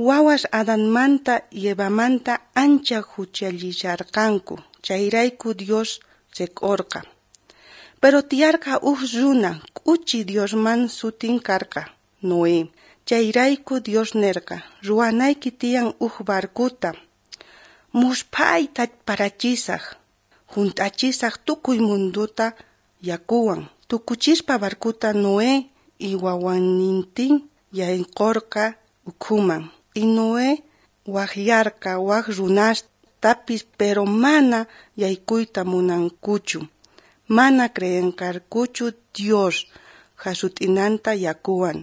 Wawas Adanmanta y Evamanta ancha juchallisharqanku, chayrayku Dios seq'orqa. Pero tiyarqa uj runa k'uchi Diosman sutin karqa, Noé. Chayrayku Dios nerqa, ruwanayki tiyan uj barcuta. Musphayta parachisaj, junt'achisaj tukuy mundota yakuwan. Tukuchispa barcuta Noé y wawanintin yaykorqa ukhuman. Y Noé wajyarqa waj runastapis, pero mana yaykuyta munankuchu. Mana creenqarkuchu Dios jasut'inanta yakuwan.